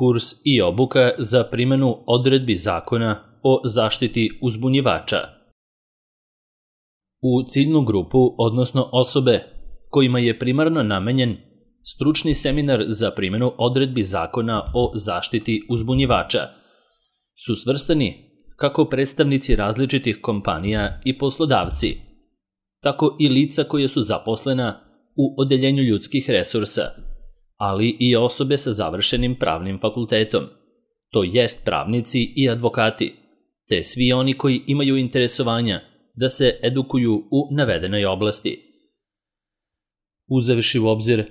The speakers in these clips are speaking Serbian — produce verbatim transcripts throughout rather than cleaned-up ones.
Kurs i obuka za primjenu odredbi Zakona o zaštiti uzbunjivača. U ciljnu grupu, odnosno osobe kojima je primarno namenjen stručni seminar za primjenu odredbi Zakona o zaštiti uzbunjivača, su svrstani kako predstavnici različitih kompanija i poslodavci, tako i lica koje su zaposlena u odeljenju ljudskih resursa, ali i osobe sa završenim pravnim fakultetom, to jest pravnici i advokati, te svi oni koji imaju interesovanja da se edukuju u navedenoj oblasti. Uzevši u obzir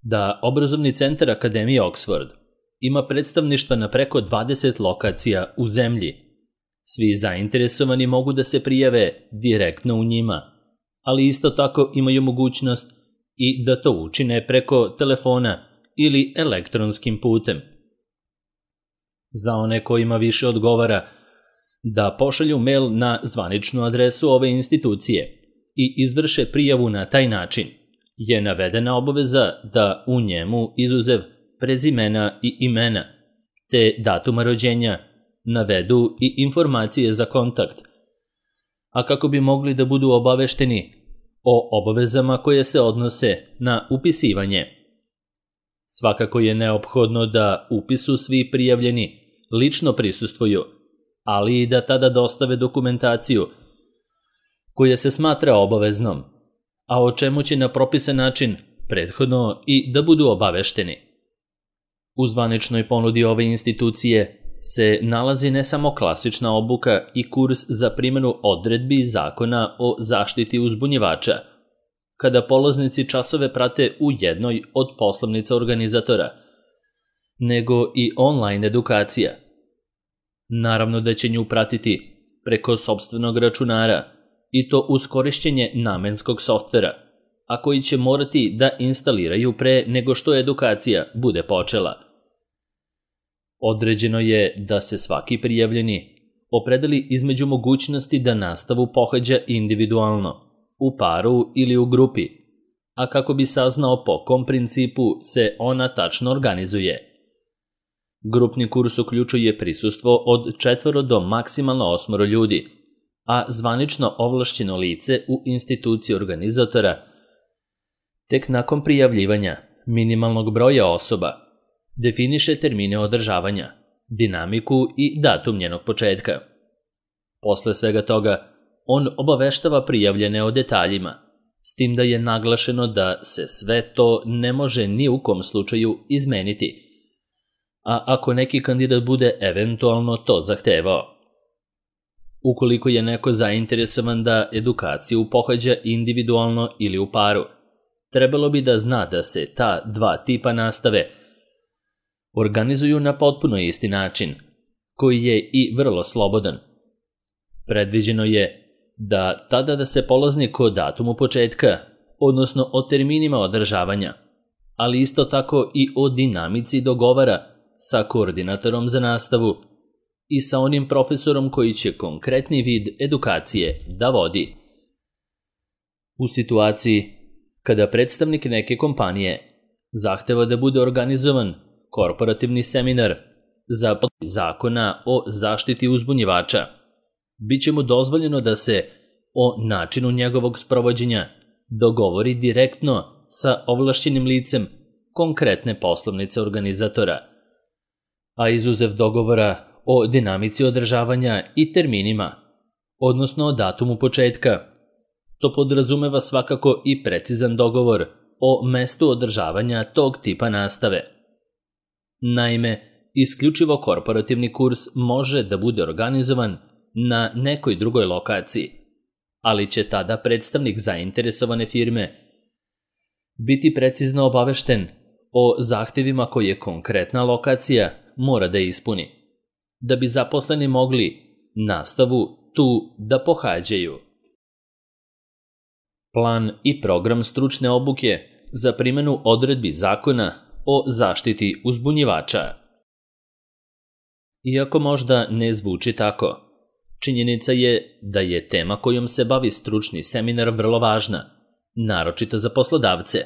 da obrazovni centar Akademije Oxford ima predstavništva na preko dvadeset lokacija u zemlji, svi zainteresovani mogu da se prijave direktno u njima, ali isto tako imaju mogućnost i da to učine preko telefona ili elektronskim putem. Za one kojima više odgovara da pošalju mail na zvaničnu adresu ove institucije i izvrše prijavu na taj način, je navedena obaveza da u njemu, izuzev prezimena i imena, te datuma rođenja, navedu i informacije za kontakt, a kako bi mogli da budu obavešteni o obavezama koje se odnose na upisivanje. Svakako je neophodno da upisu svi prijavljeni lično prisustvuju, ali i da tada dostave dokumentaciju koja se smatra obaveznom, a o čemu će na propisan način prethodno i da budu obavešteni. U zvaničnoj ponudi ove institucije se nalazi ne samo klasična obuka i kurs za primjenu odredbi Zakona o zaštiti uzbunjivača, kada polaznici časove prate u jednoj od poslovnica organizatora, nego i online edukacija. Naravno da će nju pratiti preko sopstvenog računara i to uz korišćenje namenskog softvera, a koji će morati da instaliraju pre nego što edukacija bude počela. Određeno je da se svaki prijavljeni opredeli između mogućnosti da nastavu pohađa individualno, u paru ili u grupi, a kako bi saznao po kom principu se ona tačno organizuje. Grupni kurs uključuje prisustvo od četvoro do maksimalno osmoro ljudi, a zvanično ovlašćeno lice u instituciji organizatora tek nakon prijavljivanja minimalnog broja osoba definiše termine održavanja, dinamiku i datum njenog početka. Posle svega toga, on obaveštava prijavljene o detaljima, s tim da je naglašeno da se sve to ne može ni u kom slučaju izmeniti, a ako neki kandidat bude eventualno to zahtevao. Ukoliko je neko zainteresovan da edukaciju pohađa individualno ili u paru, trebalo bi da zna da se ta dva tipa nastave organizuju na potpuno isti način, koji je i vrlo slobodan. Predviđeno je da tada da se polaznik o datumu početka, odnosno o terminima održavanja, ali isto tako i o dinamici dogovara sa koordinatorom za nastavu i sa onim profesorom koji će konkretni vid edukacije da vodi. U situaciji kada predstavnik neke kompanije zahteva da bude organizovan korporativni seminar za Zakona o zaštiti uzbunjivača, bit će mu dozvoljeno da se o načinu njegovog sprovođenja dogovori direktno sa ovlašćenim licem konkretne poslovnice organizatora, a izuzev dogovora o dinamici održavanja i terminima, odnosno o datumu početka, to podrazumeva svakako i precizan dogovor o mestu održavanja tog tipa nastave. Naime, isključivo korporativni kurs može da bude organizovan na nekoj drugoj lokaciji, ali će tada predstavnik zainteresovane firme biti precizno obavešten o zahtevima koje konkretna lokacija mora da ispuni, da bi zaposleni mogli nastavu tu da pohađaju. Plan i program stručne obuke za primjenu odredbi Zakona o zaštiti uzbunjivača. Iako možda ne zvuči tako, činjenica je da je tema kojom se bavi stručni seminar vrlo važna, naročito za poslodavce.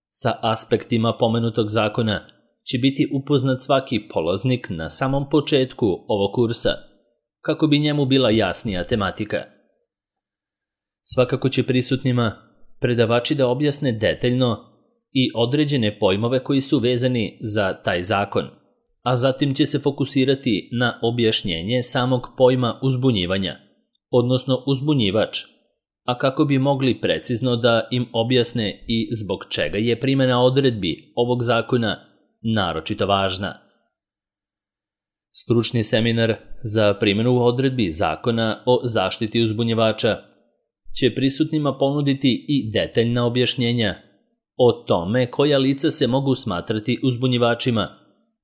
Sa aspektima pomenutog zakona će biti upoznat svaki polaznik na samom početku ovog kursa, kako bi njemu bila jasnija tematika. Svakako će prisutnima predavači da objasne detaljno i određene pojmove koji su vezani za taj zakon, a zatim će se fokusirati na objašnjenje samog pojma uzbunjivanja, odnosno uzbunjivač, a kako bi mogli precizno da im objasne i zbog čega je primjena odredbi ovog zakona naročito važna. Stručni seminar za primjenu odredbi zakona o zaštiti uzbunjivača će prisutnima ponuditi i detaljna objašnjenja o tome koja lica se mogu smatrati uzbunjivačima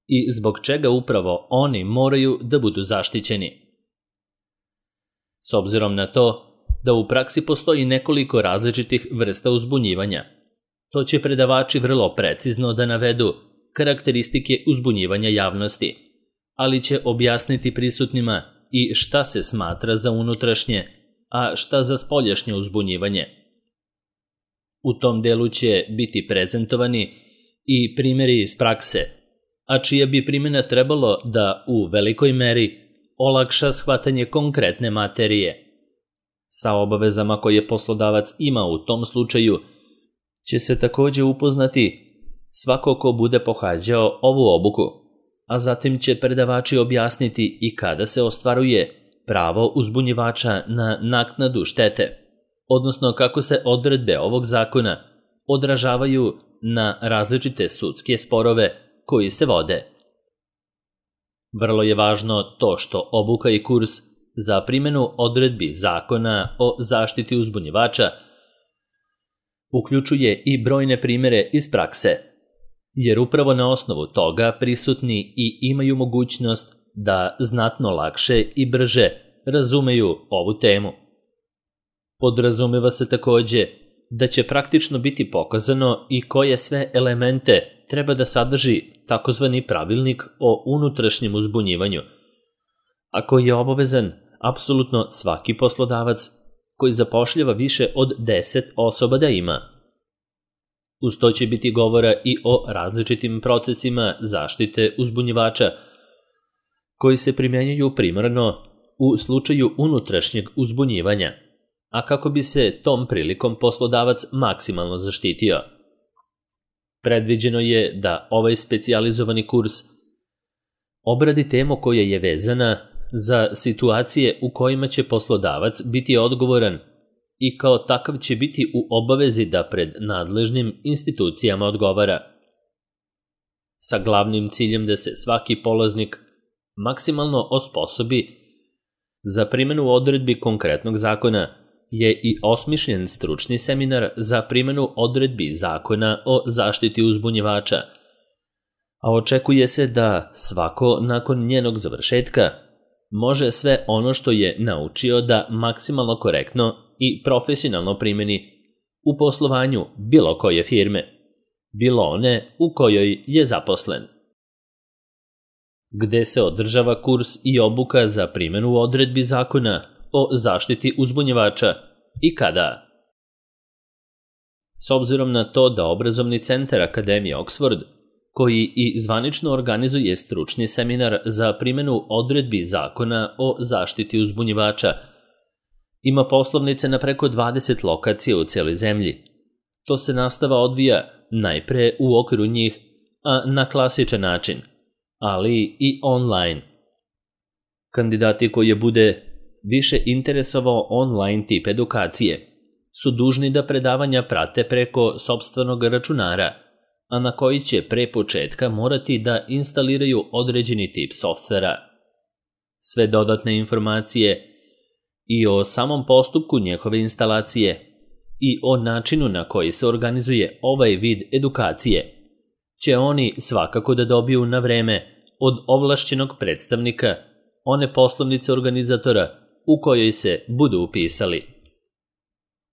i zbog čega upravo oni moraju da budu zaštićeni. S obzirom na to da u praksi postoji nekoliko različitih vrsta uzbunjivanja, to će predavači vrlo precizno da navedu karakteristike uzbunjivanja javnosti, ali će objasniti prisutnima i šta se smatra za unutrašnje, a šta za spoljašnje uzbunjivanje. U tom delu će biti prezentovani i primjeri iz prakse, a čija bi primjena trebalo da u velikoj meri olakša shvatanje konkretne materije. Sa obavezama koje poslodavac ima u tom slučaju će se također upoznati svako ko bude pohađao ovu obuku, a zatim će predavači objasniti i kada se ostvaruje pravo uzbunjivača na naknadu štete, odnosno kako se odredbe ovog zakona odražavaju na različite sudske sporove koji se vode. Vrlo je važno to što obuka i kurs za primjenu odredbi zakona o zaštiti uzbunjivača uključuje i brojne primjere iz prakse, jer upravo na osnovu toga prisutni i imaju mogućnost da znatno lakše i brže razumeju ovu temu. Podrazumeva se također da će praktično biti pokazano i koje sve elemente treba da sadrži takozvani pravilnik o unutrašnjem uzbunjivanju, a koji je obavezan apsolutno svaki poslodavac koji zapošljava više od deset osoba da ima. Uz to će biti govora i o različitim procesima zaštite uzbunjivača koji se primjenjuju primarno u slučaju unutrašnjeg uzbunjivanja, a kako bi se tom prilikom poslodavac maksimalno zaštitio. Predviđeno je da ovaj specijalizovani kurs obradi temu koja je vezana za situacije u kojima će poslodavac biti odgovoran i kao takav će biti u obavezi da pred nadležnim institucijama odgovara, sa glavnim ciljem da se svaki polaznik maksimalno osposobi za primjenu odredbi konkretnog zakona. Je i osmišljen stručni seminar za primjenu odredbi zakona o zaštiti uzbunjivača, a očekuje se da svako nakon njenog završetka može sve ono što je naučio da maksimalno korektno i profesionalno primjeni u poslovanju bilo koje firme, bilo one u kojoj je zaposlen. Gde se održava kurs i obuka za primjenu odredbi zakona o zaštiti uzbunjivača i kada? S obzirom na to da obrazovni centar Akademije Oxford, koji i zvanično organizuje stručni seminar za primjenu odredbi zakona o zaštiti uzbunjivača, ima poslovnice na preko dvadeset lokacija u cijeloj zemlji. To se nastava odvija najpre u okviru njih, a na klasičan način, ali i online. Kandidati koji bude više interesovao online tip edukacije su dužni da predavanja prate preko sopstvenog računara, a na koji će pre početka morati da instaliraju određeni tip softvera. Sve dodatne informacije i o samom postupku njihove instalacije i o načinu na koji se organizuje ovaj vid edukacije će oni svakako da dobiju na vreme od ovlašćenog predstavnika one poslovnice organizatora u kojoj se budu upisali.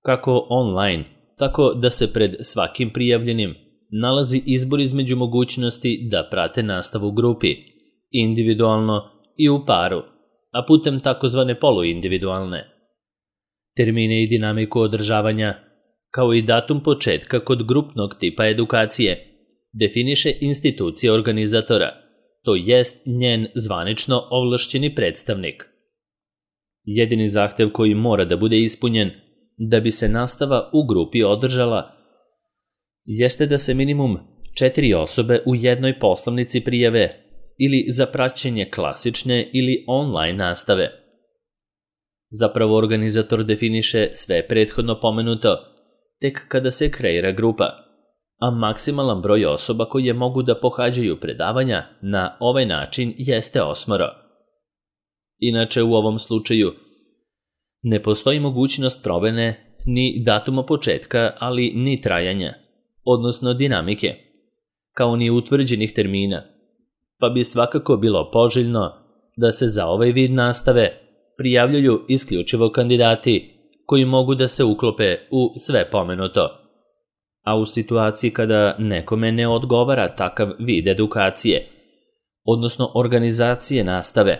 Kako online, tako da se pred svakim prijavljenim nalazi izbor između mogućnosti da prate nastavu u grupi, individualno i u paru, a putem takozvane poluindividualne. Termine i dinamiku održavanja, kao i datum početka kod grupnog tipa edukacije, definiše institucija organizatora, to jest njen zvanično ovlašćeni predstavnik. Jedini zahtev koji mora da bude ispunjen da bi se nastava u grupi održala jeste da se minimum četiri osobe u jednoj poslovnici prijave ili za praćenje klasične ili online nastave. Zapravo organizator definiše sve prethodno pomenuto tek kada se kreira grupa, a maksimalan broj osoba koje mogu da pohađaju predavanja na ovaj način jeste osmoro. Inače, u ovom slučaju ne postoji mogućnost promene ni datuma početka, ali ni trajanja, odnosno dinamike, kao ni utvrđenih termina, pa bi svakako bilo poželjno da se za ovaj vid nastave prijavljuju isključivo kandidati koji mogu da se uklope u sve pomenuto. A u situaciji kada nekome ne odgovara takav vid edukacije, odnosno organizacije nastave,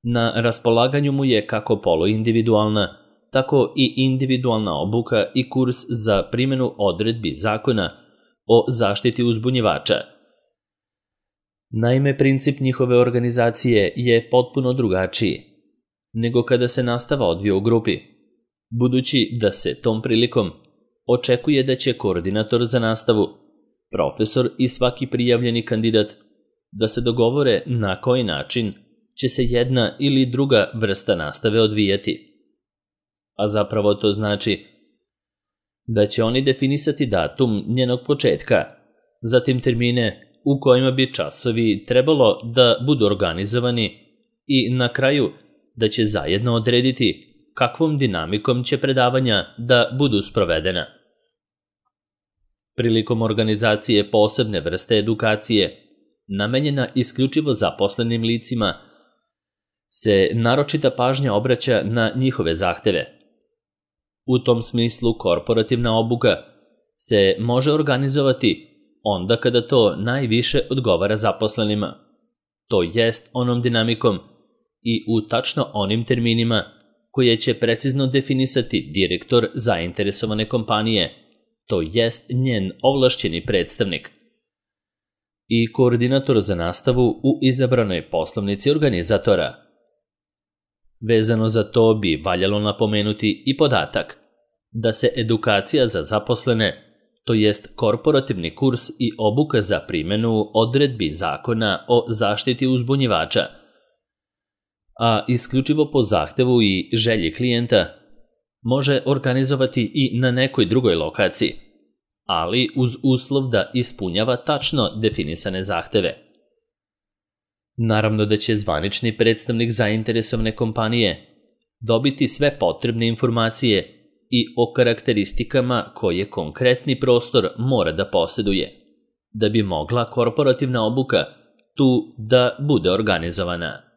na raspolaganju mu je kako poluindividualna, tako i individualna obuka i kurs za primjenu odredbi zakona o zaštiti uzbunjivača. Naime, princip njihove organizacije je potpuno drugačiji nego kada se nastava odvija u grupi, budući da se tom prilikom očekuje da će koordinator za nastavu, profesor i svaki prijavljeni kandidat da se dogovore na koji način će se jedna ili druga vrsta nastave odvijati. A zapravo to znači da će oni definisati datum njenog početka, zatim termine u kojima bi časovi trebalo da budu organizovani i na kraju da će zajedno odrediti kakvom dinamikom će predavanja da budu sprovedena. Prilikom organizacije posebne vrste edukacije, namenjena isključivo zaposlenim licima, se naročita pažnja obraća na njihove zahteve. U tom smislu korporativna obuka se može organizovati onda kada to najviše odgovara zaposlenima, to jest onom dinamikom i u tačno onim terminima koje će precizno definisati direktor zainteresovane kompanije, to jest njen ovlašćeni predstavnik i koordinator za nastavu u izabranoj poslovnici organizatora. Vezano za to bi valjalo napomenuti i podatak da se edukacija za zaposlene, to jest korporativni kurs i obuka za primjenu odredbi zakona o zaštiti uzbunjivača, a isključivo po zahtevu i želji klijenta, može organizovati i na nekoj drugoj lokaciji, ali uz uslov da ispunjava tačno definisane zahteve. Naravno da će zvanični predstavnik zainteresovane kompanije dobiti sve potrebne informacije i o karakteristikama koje konkretni prostor mora da posjeduje, da bi mogla korporativna obuka tu da bude organizovana.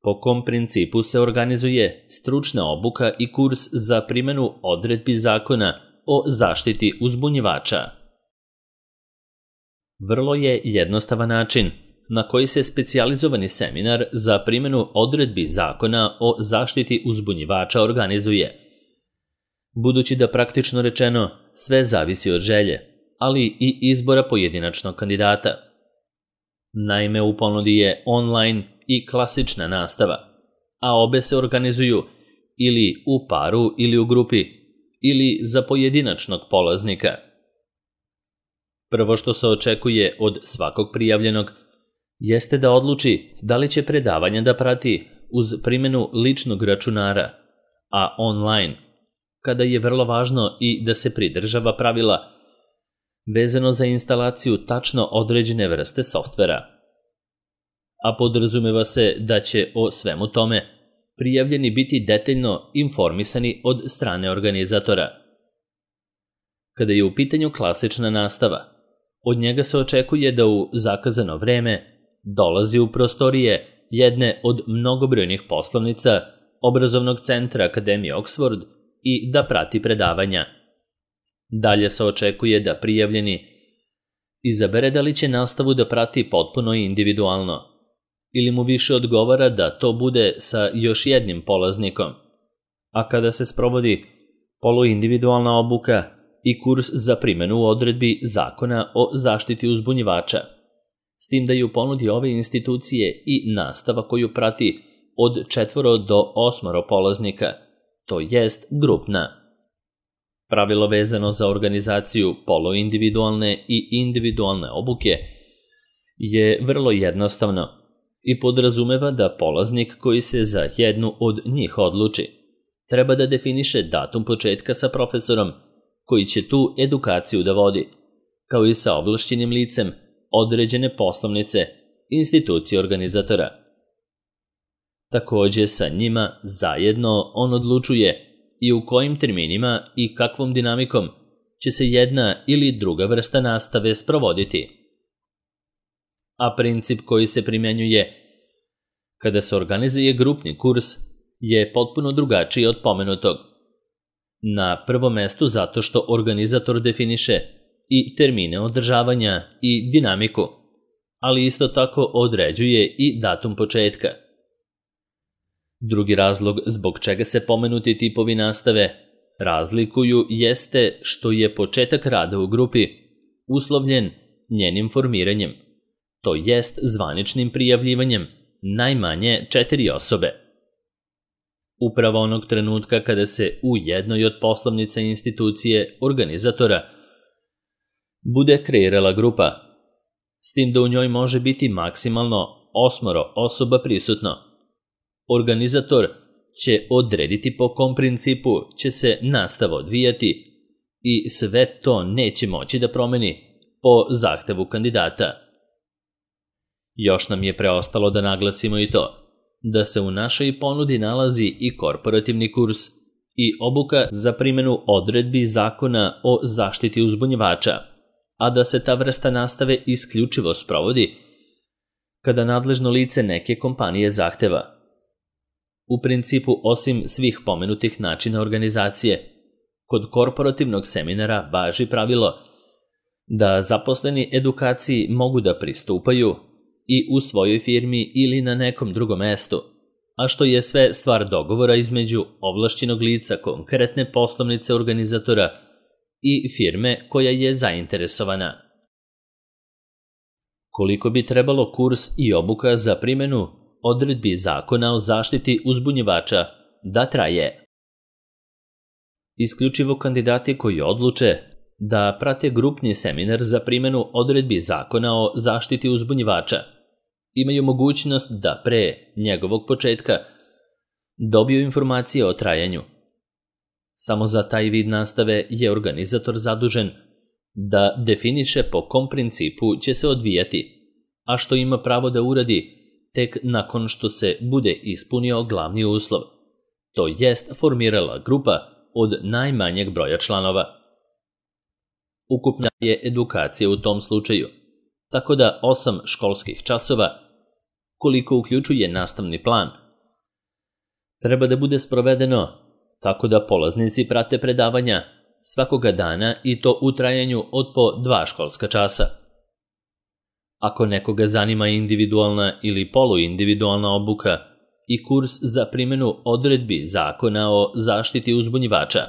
Po kom principu se organizuje stručna obuka i kurs za primjenu odredbi zakona o zaštiti uzbunjivača? Vrlo je jednostavan način na koji se specijalizovani seminar za primjenu odredbi zakona o zaštiti uzbunjivača organizuje. Budući da praktično rečeno sve zavisi od želje, ali i izbora pojedinačnog kandidata. Naime, u ponudi je online i klasična nastava, a obe se organizuju ili u paru ili u grupi, ili za pojedinačnog polaznika. Prvo što se očekuje od svakog prijavljenog jeste da odluči da li će predavanja da prati uz primjenu ličnog računara, a online, kada je vrlo važno i da se pridržava pravila vezano za instalaciju tačno određene vrste softvera. A podrazumeva se da će o svemu tome prijavljeni biti detaljno informisani od strane organizatora. Kada je u pitanju klasična nastava, od njega se očekuje da u zakazano vreme dolazi u prostorije jedne od mnogobrojnih poslovnica obrazovnog centra Akademije Oxford i da prati predavanja. Dalje se očekuje da prijavljeni izabere da li će nastavu da prati potpuno i individualno, ili mu više odgovara da to bude sa još jednim polaznikom. A kada se sprovodi poluindividualna obuka, i kurs za primjenu odredbi Zakona o zaštiti uzbunjivača, s tim da je u ponudi ove institucije i nastava koju prati od četvoro do osmoro polaznika, to jest grupna. Pravilo vezano za organizaciju poluindividualne i individualne obuke je vrlo jednostavno i podrazumeva da polaznik koji se za jednu od njih odluči treba da definiše datum početka sa profesorom koji će tu edukaciju da vodi, kao i sa ovlašćenim licem određene poslovnice institucije organizatora. Takođe sa njima zajedno on odlučuje i u kojim terminima i kakvom dinamikom će se jedna ili druga vrsta nastave sprovoditi. A princip koji se primjenjuje kada se organizuje grupni kurs je potpuno drugačiji od pomenutog. Na prvom mestu zato što organizator definiše i termine održavanja i dinamiku, ali isto tako određuje i datum početka. Drugi razlog zbog čega se pomenuti tipovi nastave razlikuju jeste što je početak rada u grupi uslovljen njenim formiranjem, to jest zvaničnim prijavljivanjem najmanje četiri osobe. Upravo onog trenutka kada se u jednoj od poslovnica institucije organizatora bude kreirala grupa, s tim da u njoj može biti maksimalno osmoro osoba prisutno. Organizator će odrediti po kom principu će se nastava odvijati i sve to neće moći da promeni po zahtevu kandidata. Još nam je preostalo da naglasimo i to da se u našoj ponudi nalazi i korporativni kurs i obuka za primjenu odredbi Zakona o zaštiti uzbunjivača, a da se ta vrsta nastave isključivo sprovodi kada nadležno lice neke kompanije zahteva. U principu, osim svih pomenutih načina organizacije, kod korporativnog seminara važi pravilo da zaposleni edukaciji mogu da pristupaju i u svojoj firmi ili na nekom drugom mestu, a što je sve stvar dogovora između ovlašćenog lica konkretne poslovnice organizatora i firme koja je zainteresovana. Koliko bi trebalo kurs i obuka za primjenu odredbi Zakona o zaštiti uzbunjivača da traje? Isključivo kandidati koji odluče da prate grupni seminar za primjenu odredbi Zakona o zaštiti uzbunjivača imaju mogućnost da pre njegovog početka dobiju informacije o trajanju. Samo za taj vid nastave je organizator zadužen da definiše po kom principu će se odvijati, a što ima pravo da uradi tek nakon što se bude ispunio glavni uslov, to jest formirala grupa od najmanjeg broja članova. Ukupna je edukacija u tom slučaju, tako da osam školskih časova, koliko uključuje nastavni plan, treba da bude sprovedeno tako da polaznici prate predavanja svakoga dana i to u trajanju od po dva školska časa. Ako nekoga zanima individualna ili poluindividualna obuka i kurs za primjenu odredbi Zakona o zaštiti uzbunjivača,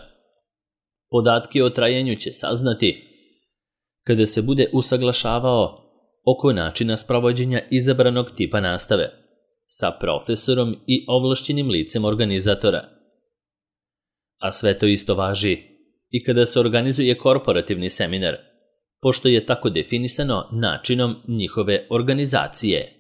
podatke o trajanju će saznati kada se bude usaglašavao oko načina sprovođenja izabranog tipa nastave sa profesorom i ovlašćenim licem organizatora. A sve to isto važi i kada se organizuje korporativni seminar, pošto je tako definisano načinom njihove organizacije.